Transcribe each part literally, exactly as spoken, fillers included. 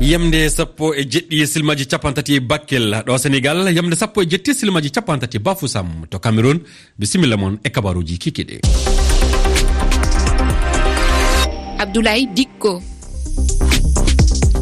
Yamde sappo e jeɗɗi silmaji capantati Bakel ɗo Senegal, yamde sappo e jeɗɗi silmaji capantati Bafoussam to Cameroun. Bisimilla mon e kabaruji kikiɗe. Abdoulaye Dikko.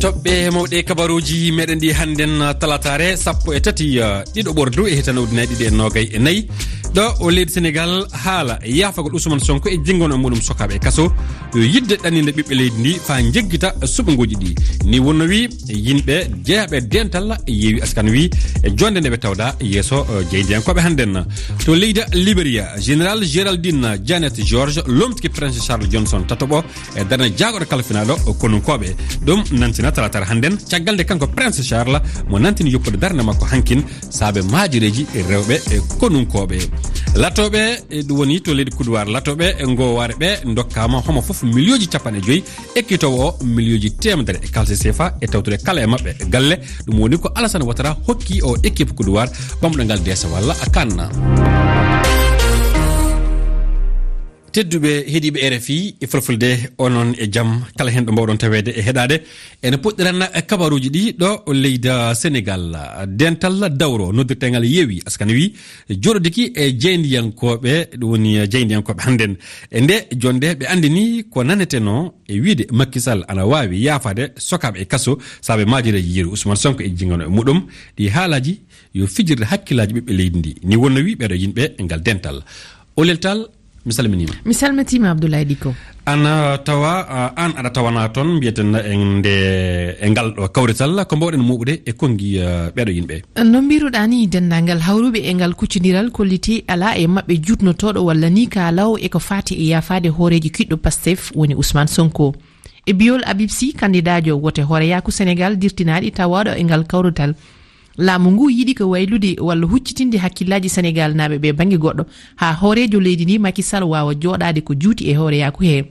Toɓɓe mawɗe kabaruji meɗen ɗi hannden talataare sappo e tati, eh, ɗiɗo ɓordu e hitande ujunnaji ɗiɗi e noogay e nayi. Ɗo o leydi Senegal haala yaafagol Ousmane Sonko e jingono e muɗum sokaaɓe e kaso. Yo yidde ɗanninde ɓiɓɓe leydi ndi faa njeggita suɓngooji ɗi. Ni wonno wi yimɓe jeyaaɓe dental yeewi askan wi e jonde nde ɓe tawda yeeso, eh, jeyndiyankooɓe hannden. To leydi Liberia, Général Géraldine Janet George lomtiki Prince Charles Johnson tataɓo e darnde jaagoɗo kalfinaaɗo konunkooɓe. Ɗum nantina talaataare hannden, caggal nde kanko Prince Charles mo nantini yoppude darnde makko hankin saabe maajireeji rewɓe e konunkooɓe. Latooɓe, e ɗum woni to leydi Kuduwaar, latooɓe e ngoowaare ɓe ndokkaama homo fof miliyooji capanɗe joyi, ekkitoowo o miliyooji teemedere e kalse sefa e tawtude kala e maɓɓe galle. Ɗum woni ko Alassane Ouattara hokki o équipe Kuduwaar ɓamɗo ngal deesa walla a kanna. Tedduɓe heɗiiɓe R F I e Fulfulde, onon e jam, kala heen ɗo mbawɗon taweede e heɗaade. Ene puɗɗiran kabaruuji ɗi ɗo leydi Senegal. Dental dawro noddirteengal yeewi askan wi jooɗodiki e jeyndiyankooɓe, ɗum woni jeyndiyankooɓe hannden. E nde jonde ɓe anndini ko nanetenoo e wiide Macky Sall ana waawi yaafaade sokaaɓe e kaso saabe maajireeji yeru Ousmane Sonko e jingano e muɗum. Ɗi haalaaji yo fijirde hakkillaaji ɓiɓɓe leydi ndi. Ni wonno wi ɓeeɗo yimɓe e ngal dental. Olel Tall, mi salminiima. Mi salmitiima, Abdoulaye Dikko. Ana tawa, ah, aan aɗa tawanaa toon, mbiyeten e nde, e ngal ɗo kawrital, ko mbawɗen mooɓude e konngi, ah, ɓeeɗo yimɓe? No mbiruɗaa ni, denndaangal hawruɓe e ngal kuccondiral kolliti alaa e maɓɓe juutnotooɗo walla ni ka law e ko faati e yaafaade hooreejo kiɗɗo Pastef woni Ousmane Sonko. E biyol Habib Sy, kandidaajo wote hooreyaaku Senegal dirtinaaɗi tawaaɗo e ngal kawrital, laamu ngu yiɗi ko waylude walla huccitinde hakkillaaji Senegal naaɓe ɓe bannge goɗɗo, haa hooreejo leydi ndi Macky Sall waawa jooɗaade ko juuti e hooreyaaku he.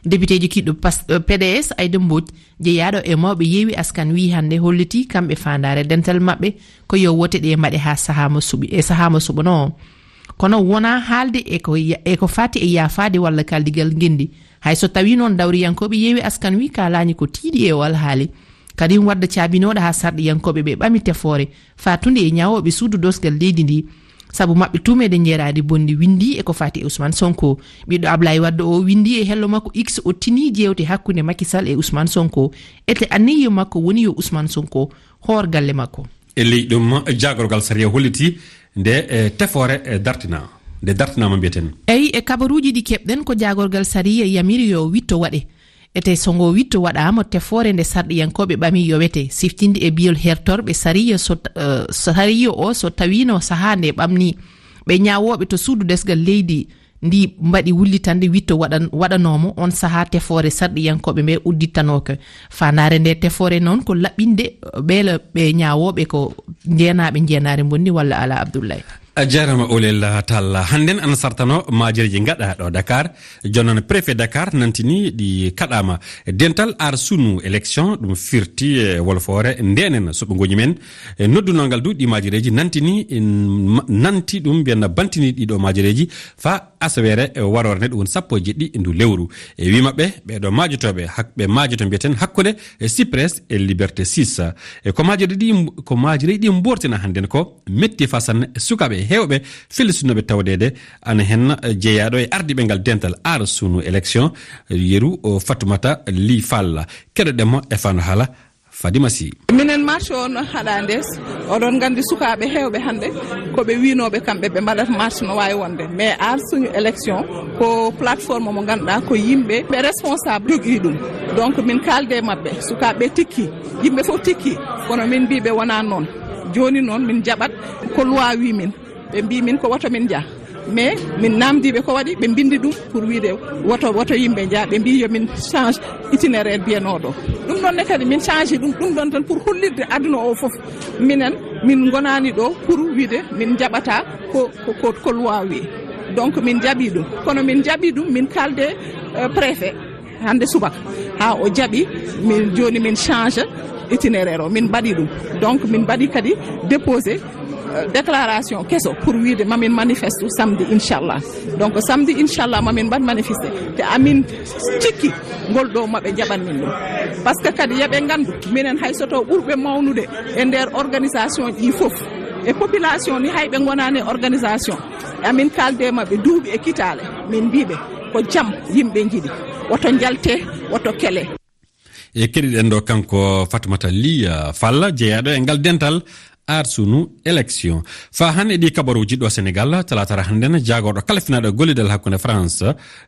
Depiteejo kiɗɗo pas-, eh, P D S, Aïda Mbodj, jeyaaɗo e mawɓe yeewi askan wi hannde hollitii kamɓe faandaare dental maɓɓe ko yo wote ɗe mbaɗe haa sahaa mo suɓi, e sahaa mo suɓanoo. Kono wonaa haalde e ko ya-, e ko faati e yaafaade walla kaldigal ngenndi. Hay so tawii noon dawriyankooɓe yeewi askan wi kaalaani ko tiiɗi e o alhaali. Karim Wade caabinooɗo haa sarɗiyankooɓe ɓe ɓami tefoore faatunde e ñaawooɓe suudu doosgal leydi ndi. Sabu maɓɓe tuumeede njeeraade bonde winndi e ko faati e Ousmane Sonko. Ɓiɗɗo Ablaye Wade o winndi e hello makko X o tini jeewte hakkunde Macky Sall e Ousmane Sonko. Ete anniye makko woni yo Ousmane Sonko hoor galle makko. E ley ɗum, jaagorgal sariya holliti nde, e, tefoore, e, dartina, nde dartinaama mbiyeten. Eyi, e kabaruuji ɗi keɓɗen ko jaagorgal sariya yamiri yo witto waɗe. Ete so ngo witto waɗaama, tefoore nde sarɗiyankooɓe ɓami yowete, siftinde e biyol hertorɓe sariya so, eh, sariya o so tawiino sahaa nde ɓamni ɓe ñaawooɓe to suudu desgal leydi ndi mbaɗi wullitande witto waɗan-, waɗanoomo on sahaa tefoore sarɗiyankooɓe ɓe uddittanooka. Faandaare nde tefoore noon ko laɓɓinde ɓeela ɓe ñaawooɓe ko njeenaaɓe njeenaare mbonni walla alaa Abdoulaye. A jaaraama Olel Tall. Hannden ana sartano maajereeji ngaɗa ɗo Dakar. Jooni noon préfet Dakar nantini ɗi kaɗaama. Dental Aar Sunu Élection, ɗum firti e wolfoore ndenen suɓngooji men. E noddunoo ngal du ɗi maajereeji nantini, en ma-, nanti ɗum mbiyen bantini ɗiɗo maajereeji fa asaweere, e, waroore nde, ɗum woni sappo e jeɗɗi ndu lewru. E wi maɓɓe, ɓeeɗo maajotooɓe, hak-, ɓe maajoto mbiyeten hakkunde, e, Cyprès e Liberté six. E ko maajereeji ɗi, ko maajereeji ɗi mbortina hannden ko metti fa sanne sukaaɓe heewɓe fellitinooɓe tawdeede ana hen, e, jeyaaɗo e ardiiɓe ngal dental Aar Sunu Élection, e, yeru o Fatoumata Ly Fall. Keɗoɗen mo e fano haala Fadima Sy. Minen marche o no haɗa ndes, oɗon nganndi sukaaɓe heewɓe hannde ko ɓe wiinooɓe kamɓe ɓe mbaɗata marche no waawi wonde. Mais Aar Suñu Élection ko plateforme mo ngannduɗaa ko yimɓe ɓe responsable jogii ɗum. Donc min kaalde e maɓɓe, sukaaɓe ɓe tikki, yimɓe fof tikki, kono min mbii ɓe wonaa noon. Jooni noon min njaɓat ko loi wii min. Ɓe mbii min ko woto min njah. Mais min naamndii ɓe ko waɗi, ɓe mbinndi ɗum pour wiide woto, woto yimɓe njah. Ɓe mbii yo min change itinéraire mbiyanooɗo. Ɗum ɗoon ne kadi min change ɗum, ɗum ɗoon tan pour hollirde aduna o fof. Minen, min ngonaani ɗo pour wiide min njaɓata ko, ko, ko, ko loi wii. Donc min njaɓii ɗum. Kono min njaɓii ɗum, min kaalde, euh, préfet. Hannde subaka, haa o jaɓi, min, jooni min change itinéraire o, min mbaɗi ɗum. Donc, min mbaɗi kadi déposé, euh, déclaration keso pour wiide mamin manifeste samedi, inchallah. Donc, samedi, inchallah, mamin mbaɗ manifeste. Te amin cikki ngol ɗo maɓe njaɓan min ɗum. Parce que kadi yoɓe nganndu, minen hay so taw ɓurɓe mawnude e nder organisation ɗi fof, e population ni hay ɓe ngonaani e organisation, amin kaalde maɓɓe duuɓi e kitaale, min mbiɓe ko jam yimɓe njiɗi, woto njalte, woto kele. E keɗiɗen ɗo kanko Fatoumata Ly, uh, Fall, jeeyaaɗo e ngal dental Arsunu Élection. Faa hannde e ɗi kabaruuji ɗo Senegal, talaatara hannden, jaagorɗo kala finaaɗo gollidal hakkunde France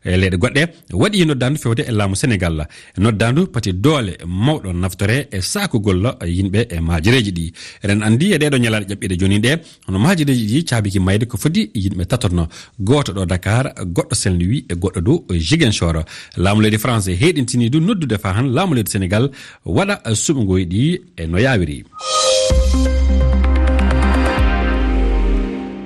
e leyɗe goɗɗe, waɗi noddaandu fewde e laamu Senegal. Noddaandu pati doole mawɗo naftore e saakugol yimɓe e maajereeji ɗi. Eɗen anndi e ɗeeɗo ñalaaɗe ƴaɓɓiiɗe jooni ɗe, hono maajereeji ɗi caabiki mayde ko foti yimɓe tatono. Gooto ɗo Dakar, goɗɗo Saint-Louis e goɗɗo dow Ziguinchor. Laamu leydi France heɗintini du noddude faa han laamu leydi Senegal waɗa suɓngoy ɗi e no yaawiri.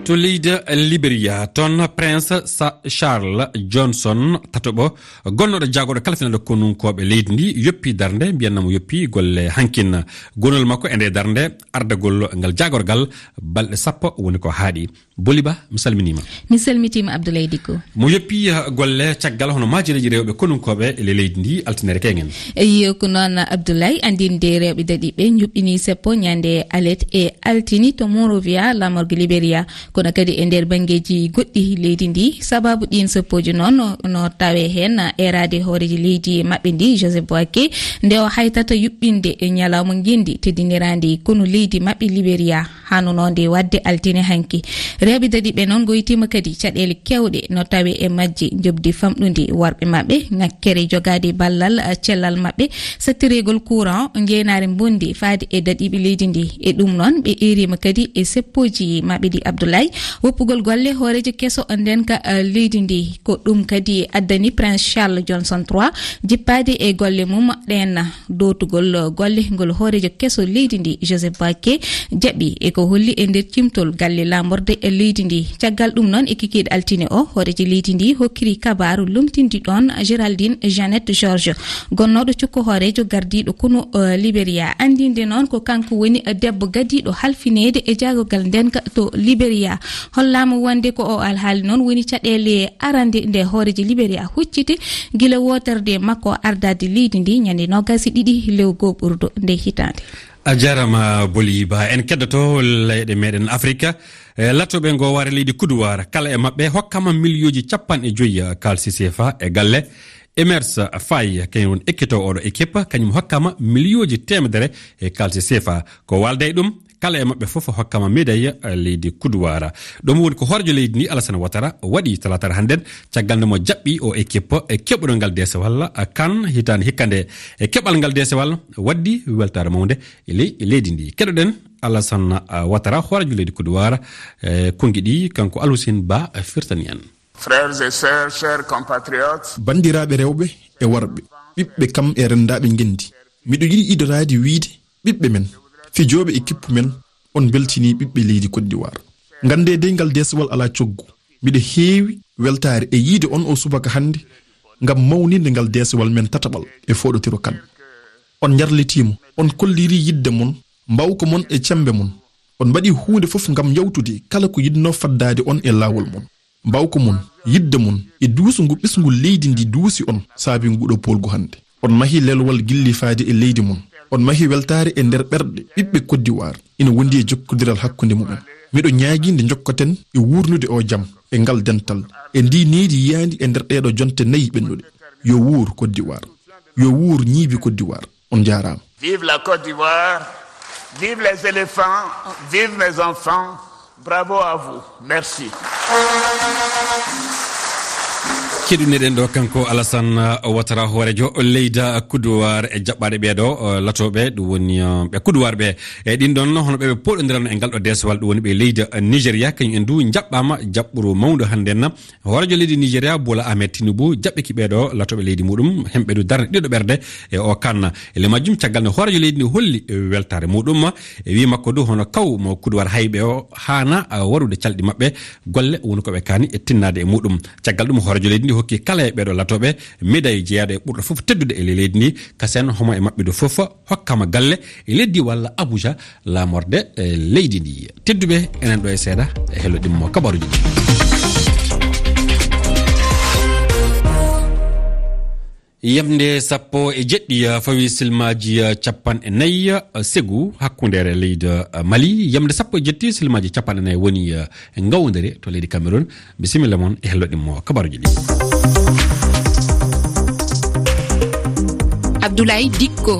To leydi Liberia, toon Prince Sa-, Charles Johnson tataɓo, gonnooɗo jaagorɗo kala finaaɗo konunkooɓe leydi ndi, yoppi darnde, mbiyanna mo yoppi golle hankin. Gonol makko e nde darnde ardagol ngal jaagorgal balɗe sappo woni ko haaɗi. Boliba, mi salminiima. Mi salmitiima, Abdoulaye Dicko. Mo yoppi, eh, golle caggal hono maajereeji rewɓe konunkooɓe e le-, leydi ndi, altinere keŋen. Eyi, ko noon, Abdoulaye, anndinde rewɓe daɗiiɓe njuɓɓini seppo ñande alet e altini to Monrovia, laamorgo Liberia. Kono kadi e nder banngeeji goɗɗi leydi ndi, sababu ɗiin seppooji noon no, no tawe heen eeraade hooreejo leydi maɓɓe ndi, Joseph Boaké, nde o haytata yuɓɓinde e ñalawma ngenndi teddiniraandi konu leydi maɓɓe Liberia. Haanunoonde waɗde altine hanki. Rewɓe daɗiiɓe noon ngoytiima kadi caɗeele keewɗe no tawe e majje njoɓdi famɗundi worɓe maɓɓe, ŋakkere jogaade ballal, eh, cellal maɓɓe, sattireegol courant, ngeenaare mbonndi faade e daɗiiɓe leydi ndi. E ɗum noon, ɓe eeriima kadi e seppooji maɓɓe ɗi Abdoulaye, woppugol golle hooreejo keso ndenka, eh, leydi ndi. Ko ɗum kadi addani Prince Charles Johnson trois jippaade e golle mum ɗeen. Dootugol golle ngol hooreejo keso leydi ndi, Joseph Boaké, jaɓi e ko holli e nder cimtol galle laamorde e leydi ndi. Caggal ɗum noon, e kikiiɗe altine o, hooreejo leydi ndi hokkiri kabaaru lomtindi ɗoon Géraldine Jeannette Georges, gonnooɗo cukko hooreejo gardiiɗo konu, eh, Liberia. Anndinde noon ko kanko woni debbo gadiiɗo halfineede e jaagorgal ndenka to Liberia. Hollaama wonde ko o alhaali noon woni caɗeele arande nde hooreejo Liberia hucciti gila wootorde makko ardaade leydi ndi ñande noogaas e ɗiɗi lewru gooɓurdu nde hitaande. A jaaraama, Boli Ba. En keddoto leyɗe meɗen Afrika. E, latooɓe ngo waare leydi Kuduwaar, kala e maɓɓe hokkama miliyooji capanɗe joyi kaalisi seefa e galle. Emers Faye, kañum woni ekkitoowo oɗo équipe, kañum hokkama miliyooji teemedere e kaalisi seefa. Ko waalda e ɗum, kala e maɓɓe fof hokkama médaille, eh, leydi Kuduwaara. Ɗum woni ko hooreejo leydi ndi, Alassane Ouattara, waɗi talaata hannden, caggal nde mo jaɓɓi o équipe e keɓuɗo ngal deesewal, eh, kan hitaande hikka nde. E keɓal ngal deesewal waddi weltaare mawnde e ley-, e leydi ndi. Keɗoɗen Alassane, eh, Ouattara, hooreejo leydi Kuduwaara, eh, konngi ɗi, kanko Alhussein Ba, eh, firtani en. Frères et sœurs, chers compatriotes. Banndiraaɓe rewɓe e worɓe, ɓiɓɓe kam e renndaaɓe ngenndi. Miɗo yiɗi idoraade wiyde ɓiɓɓe men, fijooɓe e kippu men, on mbeltinii ɓiɓɓe leydi Côte d'Ivoire. Nganndee dey ngal deesewal alaa coggu. Miɗo heewi weltaare e yiyde on o subaka hannde ngam mawninde ngal deesewal men tataɓal e fooɗotiro kan. On njarlitiima, on kollirii yiɗde mon, mbaawka mon e cemmbe mon. On mbaɗii huunde fof ngam yawtude kala ko yiɗnoo faddaade on e laawol mon. Mbaawka mon, yiɗde mon e duusu ngu ɓesngu leydi ndi duusi on saabi nguɗo poolgu hannde. On mahii lelwal gilli faade e leydi mon. On mahii weltaare e nder ɓerɗe ɓiɓɓe Côte d'Ivoire. Ina wondi e jokkondiral hakkunde mumen. Miɗo ñaagii nde njokkoten e wuurnude o jam, e ngal dental, e ndi nehdi yiyaandi e nder ɗeeɗo jonte nayi ɓennuɗe. Yo wuur Côte d'Ivoire. Yo wuur ñiibi Côte d'Ivoire. On njaaraama. Vive la Côte d'Ivoire, vive les éléphants, vive mes enfants. Bravo à vous. Merci. Keɗuneɗen ɗo kanko Alassane Ouattara, hooreejo leydi Kuduwaar, e jaɓɓaaɗe ɓeeɗo, eh, latooɓe, ɗum woni, eh, ɓe Kuduwaar ɓe. E ɗin ɗon, hono ɓe ɓe pooɗondirano e ngal ɗo deesewal, ɗum woni ɓe leydi Nigeria, kañum en du jaɓɓaama jaɓɓuru mawndu hannde na. Hooreejo leydi Nigeria, Bola Ahmed Tinubu, jaɓɓiki ɓeeɗo latooɓe leydi muɗum, hemɓe du darnde ɗiɗo ɓerde e o kanna. E le majjum, caggal nde hooreejo leydi ndi holli weltaare muɗum, e wi makko du hono kaw mo Kuduwaar hayɓe o haana, a, warude calɗi maɓɓe, golle woni ko ɓe kaani e tinnaade e muɗum. Caggal ɗum, hooreejo leydi ndi hokki kala e ɓeeɗo latooɓe médaille jeyaaɗo e ɓurɗo fof teddude e le-, leydi ndi, kasen homo e maɓɓe du fof hokkama galle e leydi walla Abuja, laamorde, eh, leydi ndi. Tedduɓe, enen ɗo e seeɗa, e hello ɗimmo kabaruji ɗi. Yamde sappo e jeɗɗi, eh, fawi silmaaji, eh, capanɗe nayi, eh, segu hakkundeere leydi, eh, Mali. Yamde sappo e jeɗɗi silmaaji capanɗe nayi woni, eh, ngawdere to leydi Cameroun. Bisimilla mon e hello ɗimmo kabaruji ɗi. Abdoulaye Dikko.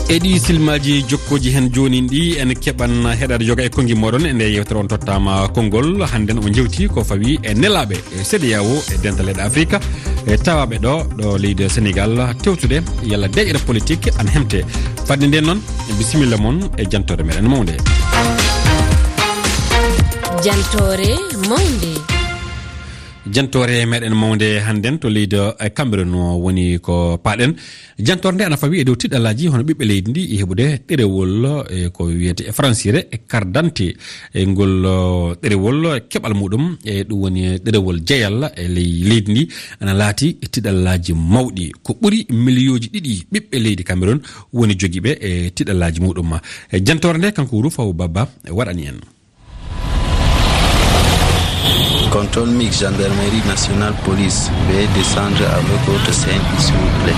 E ɗi silmaaji jokkooji heen jooni ɗi, en keɓan heɗaade yoga e konngi mooɗon e nde yewtere on tottaama konngol. Hannden o jewti ko fawi e nelaaɓe e C D A O e dental leyɗe Afrika, e tawaaɓe ɗo, ɗo leydi Senegal, tewtude yalla deeƴere politik an hemte. Fadde nden noon, bisimilla mon e jantoore meɗen mawnde. Jantoore mawnde. Jantoore meɗen mawnde hannden to leydi, e, Cameroun o woni ko paaɗen. Jantoore nde ana fawi e dow tiɗalaaji hono ɓiɓɓe leydi ndi e heɓude ɗerewol, e, ko wiyete e francire e carte d'identité. E ngol, o, ɗerewol keɓal muɗum, e ɗum woni ɗerewol jeyal e ley leydi ndi, ana laati e tiɗalaaji mawɗi. Ko ɓuri miliyooji ɗiɗi ɓiɓɓe leydi Cameroun woni jogiiɓe e tiɗalaaji muɗum. E jantoore nde kanko Rufaw Baba waɗani en. Contrôle mix gendarmerie nationale police, veuillez descendre avec votre C M I, s'il vous plaît.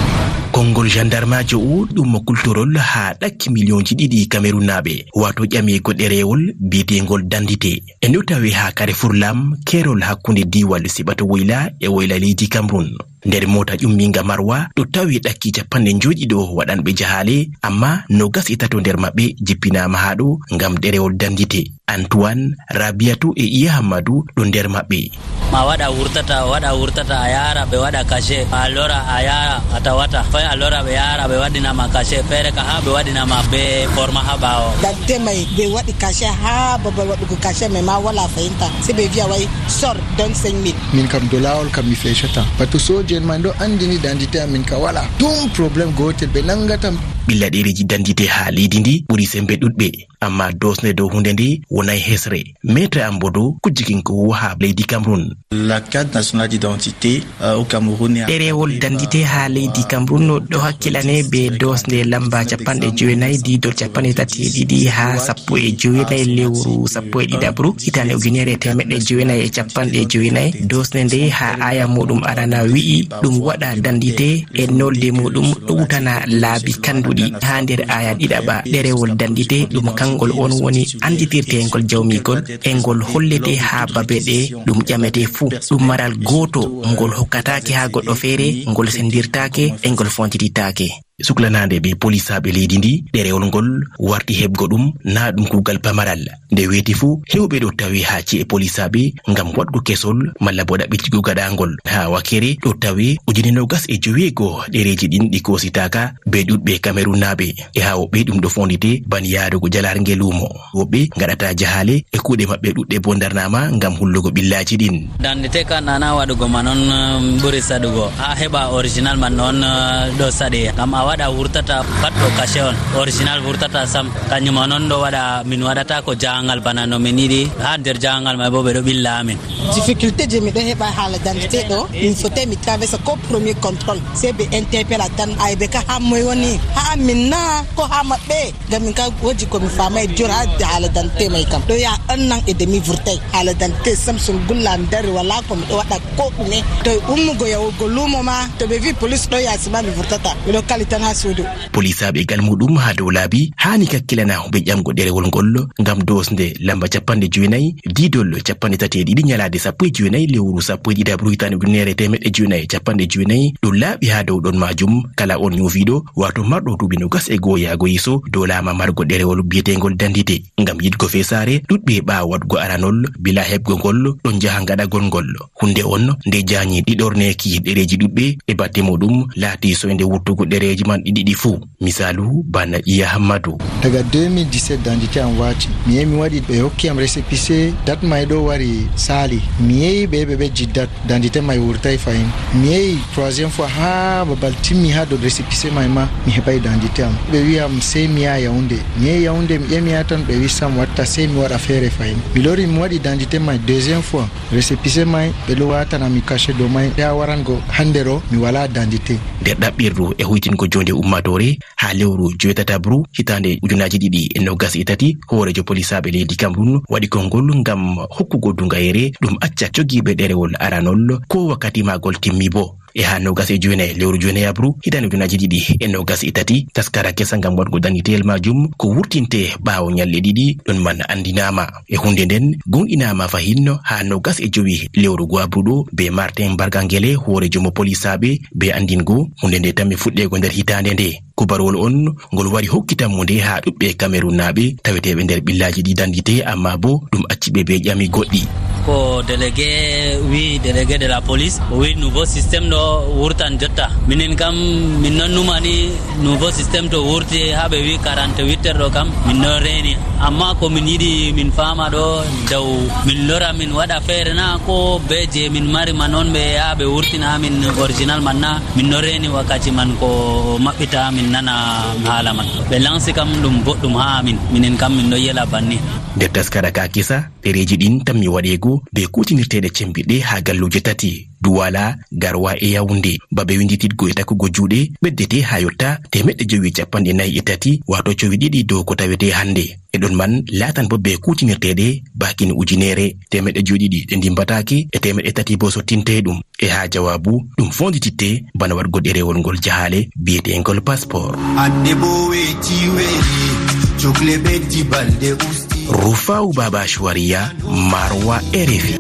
Konngol jandarmaajo o ɗum mo kultorol haa ɗakki miliyonji ɗiɗi Kamerunnaaɓe, wato ƴamigo ɗereewol biyeteengol dandite. E no tawi haa Carrefour Lam, keerol hakkunde diiwal Siɓato Woyla e Woyla leydi Cameroun. Nder moota ƴummiinga Marwa, ɗo tawi ɗakki capanɗe njoyɗiɗo waɗanɓe jahaale, amma noogas e tato nder maɓɓe jippinaama haa ɗo ngam ɗerewol dandite. Antoine, Rabiatu e Iya Hammadu ɗo nder maɓɓe. Ma waɗa wurtata, waɗa wurtata, a yaara ɓe waɗa cachet, a lora, a yaara, a tawata. Fay a lora ɓe yaara ɓe waɗina ma cachet, feere ka haa ɓe waɗina ma ɓe forma haa ɓaawo. Dadde may ɓe waɗi cachet haa babal waɗugo cachet may ma wala fahimta. Se ɓe viya way sor don cinq mille. Min kam do laawol kam mi feccata. Batu sooje en man ɗo anndini dandite amin ka wala. Ɗum problème gootel ɓe nanngatam. Ɓilla ɗereeji dandite haa leydi ndi ɓuri sembe ɗuɗɓe. Amma doosne dow huunde nde wonay hesre. Maître Ambodo, kujjikinko wo haa leydi Cameroun. La carte nationale d'identité, euh, au Cameroun est... Ɗerewol dandite haa leydi Cameroun no ɗo hakkilane be doosnde lamba capanɗe jowenayi, diidol capanɗe tati e ɗiɗi haa sappo e jowenayi lewru sappo e ɗiɗaɓru, hitaande ujunere e teemeɗɗe jowenayi e capanɗe jowenayi. Doosnde nde haa aya muɗum arana wi'i ɗum waɗa dandite e nolde muɗum ɗowtana laabi kanduɗi. Haa nder aya ɗiɗaɓa, ɗerewol dandite ɗum kangol on woni anditirteengol jawmigol e ngol hollete haa babe ɗe ɗum ƴamete fuu. Ɗum maral gooto ngol hokkataake haa goɗɗo feere, ngol sendirtaake e ngol fontititaake. Suklanaande be polisaaɓe leydi ndi, ɗerewol ngol warti heɓgo ɗum, naa ɗum kuugal pamaral. Nde weeti fuu, heewɓe ɗo tawi haa ci'e polisaaɓe ngam waɗgo kesol malla bo ɗaɓɓitigo gaɗaangol. Haa wakere ɗo tawi ujine noogas e joweego ɗereeji ɗin ɗi koositaaka be ɗuɗɓe Kamerunnaaɓe. E haa woɓɓe ɗum ɗo fondite ban yaarugo jalaarnge luumo. Woɓɓe ngaɗata jahaale e kuuɗe maɓɓe ɗuɗɗe bo ndarnaama ngam hullugo ɓillaaji ɗin. Dande te ka nana waɗugo ma non, um, ɓuri saɗugo. Haa heɓa original man non, uh, ɗo saɗe. Ngam a waɗa wurtata pat ɗo cachet on. Original wurtata sam. Kanjum on on ɗo waɗa, min waɗata ko jahangal bana no min yiɗi. Haa nder jahangal may bo ɓe ɗo ɓilla amin. Difficulté je mi ɗo heɓa haala dantité ɗo, min fotai mi traversa ko premier contrôle. Sai ɓe interpella tan, ay ɓe ka haa moy woni? Haa min na ko haa maɓɓe? Ngam min ka woji ko mi famai jur haa haala dantité mai kam. Ɗo ya un an et demi vurtai. Haala dantité sam sun gulla mi dari wala ko mi ɗo waɗa ko ɗume. To ummugo yahugo lumo ma, to ɓe vi police ɗo yasi ma mi vurtata. Mi ɗo kali tan haa suudu. Polisaaɓe gal muɗum haa dow laabi haani kakkilana ɓe ƴamgo ɗerewol ngol ngam doosnde lamba capanɗe jowenayi, diidol capanɗe tati e ɗiɗi, nyalaade sappo e jowenayi lewru sappo e ɗiɗaɓru hitaande ujunere e teemeɗɗe jowenayi e capanɗe jowenayi. Ɗum laaɓi haa dow ɗon maajum, kala on nyoofiiɗo, waato marɗo duuɓi noogas e go'o yaago yeeso, doolaama margo ɗerewol biyeteengol dantite. Ngam yiɗgo feesaare, ɗuɗɓe ɓaawo waɗgo aranol, bilaa heɓgo ngol, ɗon njaha ngaɗagol ngol. Huunde on nde jaanyi ɗiɗorneeki ɗereeji ɗuɗɓe e batte muɗum laati soynde wurtugo ɗereeji man ɗiɗi ɗi fuu. Misaalu, bana Iya Hammadu. Daga deux mille dix-sept dantité am waati. Mi yehi mi waɗi, ɓe hokki am récépissé, date may ɗo wari saali. Mi yehi ɓe, ɓe ɓejji date, dantité may wurtay fahin. Mi yehi troisième fois haa babal timmi haa dow récépissé may ma, mi heɓay dantité am. Ɓe wi am sey mi yaha Yaoundé. Mi yehi Yaoundé, mi ƴami haa ton, ɓe wi sam watta, sey mi waɗa feere fahin. Mi lori mi waɗi dantité may deuxième fois. Récépissé may, ɓe ɗo waatana mi cachet dow may, haa warango hannde ɗo, mi walaa dantité. Nder ɗaɓɓirdu e hoytingo joonde ummaatoore, haa lewru joweetataɓru hitaande ujunaaji ɗiɗi e noogas e tati, hooreejo polisaaɓe leydi Cameroun waɗi konngol ngam hokkugo duŋayere ɗum acca jogiiɓe ɗerewol aranol, koo wakkati maagol timmi boo. E haa noogas e joynayi lewru joynayi abru, hitaande ujunaaji ɗiɗi e noogas e tati, taskara kesa ngam waɗgo danniteyel maajum ko wurtinte ɓaawo ñalɗe ɗiɗi, ɗon man anndinaama. E huunde nden, gonɗinaama fahin haa noogas e jowi lewru go abru ɗo be Martin Bargangele, hoorejo mo polisaaɓe, be anndingo huunde nde tammi fuɗɗeego nder hitaande nde. Kubarwol on ngol wari hokkitammude haa ɗuɓɓe Kamerunnaaɓe taweteeɓe nder ɓillaaji ɗi danndite, amma bo ɗum acci ɓe be ƴami goɗɗi. Ko délégué wi, délégué de la police, o wi nouveau système ɗo wurtan jotta. Minen kam, min non numani nouveau système to wurti haa ɓe wi quarante-huit heures ɗo kam, min non reeni. Amma ko min yiɗi min faama ɗo daw min lora min waɗa feere na ko be je min mari man on ɓe yaa ɓe wurtina min original man na? Min no reeni wakkati man ko maɓɓita min nana haala man. Ɓe lansi kam ɗum boɗɗum haa min. Minen kam min ɗo yela banni. Nder taskara ka kisa, ɗereeji ɗin tammi waɗeego be kuutinirteeɗe cembiɗɗe haa galluuje tati, Duwala, Garwa e Yawunde. Babe winndititgo e takkugo juuɗe ɓeddete haa yotta teemeɗɗe jowi e capanɗe nayi e tati, waato cowi ɗiɗi dow ko tawete hannde. E ɗon man laatan bo be kuutinirteeɗe baakin ujunere, teemeɗɗe jowi ɗiɗi ɗe ndimmbataake e teemeɗɗe tati bo sottinte ɗum. E haa jawaabu, ɗum foondititte bana waɗgo ɗerewol ngol jahaale biyeteengol passeport. Adde bo weeti weeti, cokle ɓeddi balɗe usti. Rufau Baba Shuwariya, Marwa, R F I.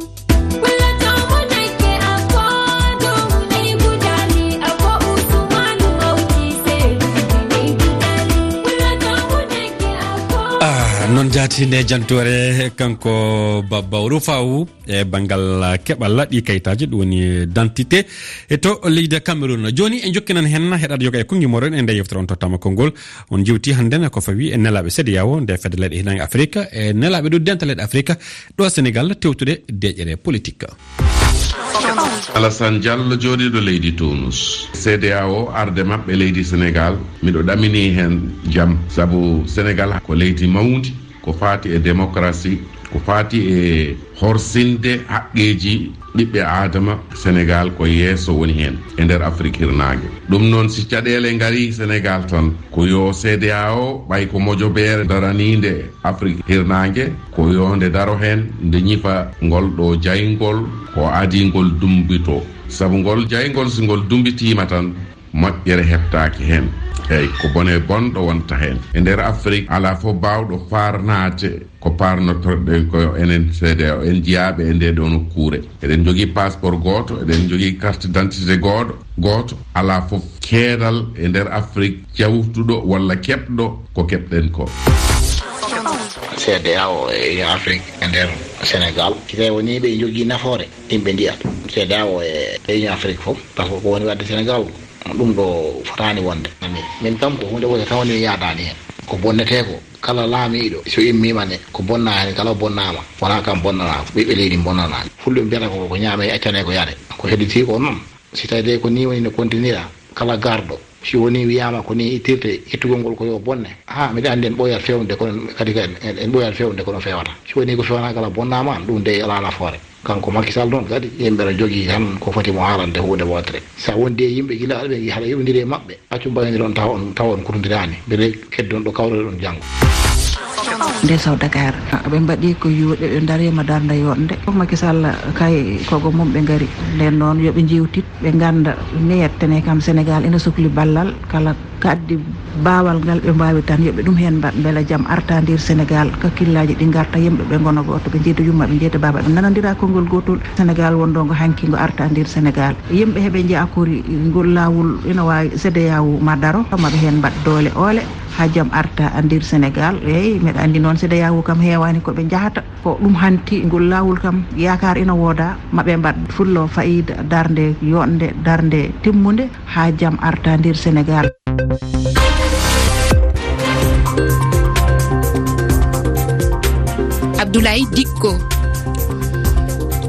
Ah, non jaati nde jantoore, kanko Babba Rufau, e banngal keɓal ɗi kayitaaji, ɗum woni dentité, e to leydi Cameroun. Jooni en jokkinan heen heɗaade yoga e konngi moɗon e nde yewtere on tottama konngol. On jewti hannden ko fawi e nelaaɓe CEDEAO, nde fedde leyɗe hiirnaange Afrika, e nelaaɓe ɗo dental leyɗe Afrika, ɗo Senegal tewtude deeƴere politik. Alassane Diallo, jooɗiiɗo leydi Tunus. CEDEAO arde maɓɓe leydi Senegal, miɗo ɗamini heen jam, sabu Senegal ko leydi mawndi, ko faati e démocratie, ko faati e horsinde haqqeeji ɓiɓɓe aadama. Senegal ko yeeso woni heen e nder Afrik hirnaange. Ɗum noon, si caɗeele ngarii Senegal tan, ko yo CEDEAO, ɓay ko mojobeere daraniinde Afrik hirnaange, ko yo nde daro heen, nde ñifa ngol ɗo jayngol, ko adii ngol dumbito. Sabu ngol jayngol, si ngol dumbitiima tan, moƴƴere heɓtaaki heen. Eey, ko bone bonɗo wonta heen. E nder Afrik, alaa fof baawɗo faarnaade ko paarnotorɗen ko enen CEDEAO, en jiyaaɓe e ndee ɗoo nokkuure. Eɗen njogii passeport gooto, eɗen njogii carte d'identité gooɗo, gooto. Alaa fof keedal e nder Afrik jawtuɗo walla keɓɗo ko keɓɗen ko. CEDEAO e Union Afrique e nder Senegal, si tawi wonii ɓe njogii nafoore, yimɓe ndiyat CEDEAO e, e Union Afrique fof, parce que ko woni waɗde Senegal, ɗum ɗo fotaani wonde. Min, min kam ko huunde wotere tan woni mi yaadaani heen. Ko bonnetee ko, kala laamiiɗo, so immiima ne, ko bonnaa heen, kala o bonnaama, wonaa kam bonnanaa, ko ɓiɓɓe leydi bonnanaa. Fulɓe mbiyata ko, ko ñaamee, accane ko yare. Ko hedditii ko noon. Si tawii de ko nii woni no kontinira, kala garɗo, si wonii wiyaama ko nii ittirte, ittugol ngol ko yo bonne. Haa, miɗa anndi en ɓooyat feewnude, kono kadi en, en, en ɓooyat feewnude, kono feewata. Si wonii ko feewnaaka kala bonnaama, ɗum de alaa nafoore. Kanko Macky Sall noon kadi, yimɓe no jogii tan ko foti mo haalande huunde wootere. So a wondi e yimɓe gila aɗa ɓe, haɗa yoɓondiri e maɓɓe, accu mbayondiron tawa on, tawa on kutondiraani. Mbele keddon ɗo kawroɗon janngo. Nde Sow Dakar, ɓe mbaɗi ko yuuɗe, ɓe ndariima darnde yooɗnde. Fof Macky Sall kay kogo mum ɓe ngari. Nden noon yo ɓe njeewtit, ɓe ngannda ne yettane kam Senegal ina sukli ballal kala. Ko addi baawal ngal ɓe mbaawi tan, yo ɓe ɗum heen mbaɗ, mbela jam arta nder Senegal, kakkillaaji ɗi ngarta, yimɓe ɓe ngona gooto, ɓe njeyta yumma, ɓe njeyta baaba, ɓe nanondira konngol gootol. Senegal wonɗo ngo hanki ngo arta nder Senegal. Yimɓe heɓe njeya kori ngol laawol ina waawi CEDEAO ma daro, ma ɓe heen mbaɗ doole oole haa jam arta nder Senegal. Eey, meɗa anndi noon CEDEAO kam heewaani ko ɓe njahata. Ko ɗum hanti ngol laawol kam, yaakaar ina wooda, ma ɓe mbaɗ fullo fayida, darnde yooɗnde, darnde timmunde, haa jam arta nder Senegal. Abdoulaye Dikko.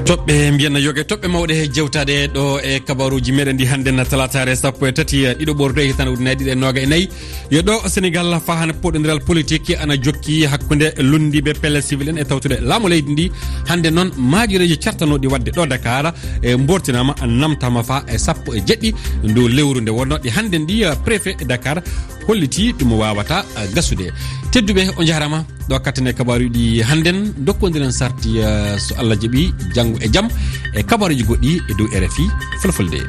Toɓɓe mbiyanna yoga e toɓɓe mawɗe he jewtaade ɗo e kabaruuji meɗen ɗi hannde na talaataare sappo e tati ɗiɗo ɓorto e hitaande ujunnaji ɗiɗi e nooga e nayi. Yo ɗo Senegal faa hannde poɗondiral politik ana jokki hakkunde lunndiiɓe pelle civil en e tawtude laamu leydi ndi. Hannde noon maajireeji cartanooɗi waɗde ɗo Dakar e mbortinaama, namtaama faa e sappo e jeɗɗi ndu lewru nde wonnoo ɗi hannde ndi, eh, préfet Dakar holliti ɗum waawata gasude. Tedduɓe, on njaaraama. Ɗo kattane kabaaruuji ɗi hannden, dokkondiren sarti, eh, so Allah jaɓi, janngo e jam, e kabaaruuji goɗɗi e dow R F I Fulfulde.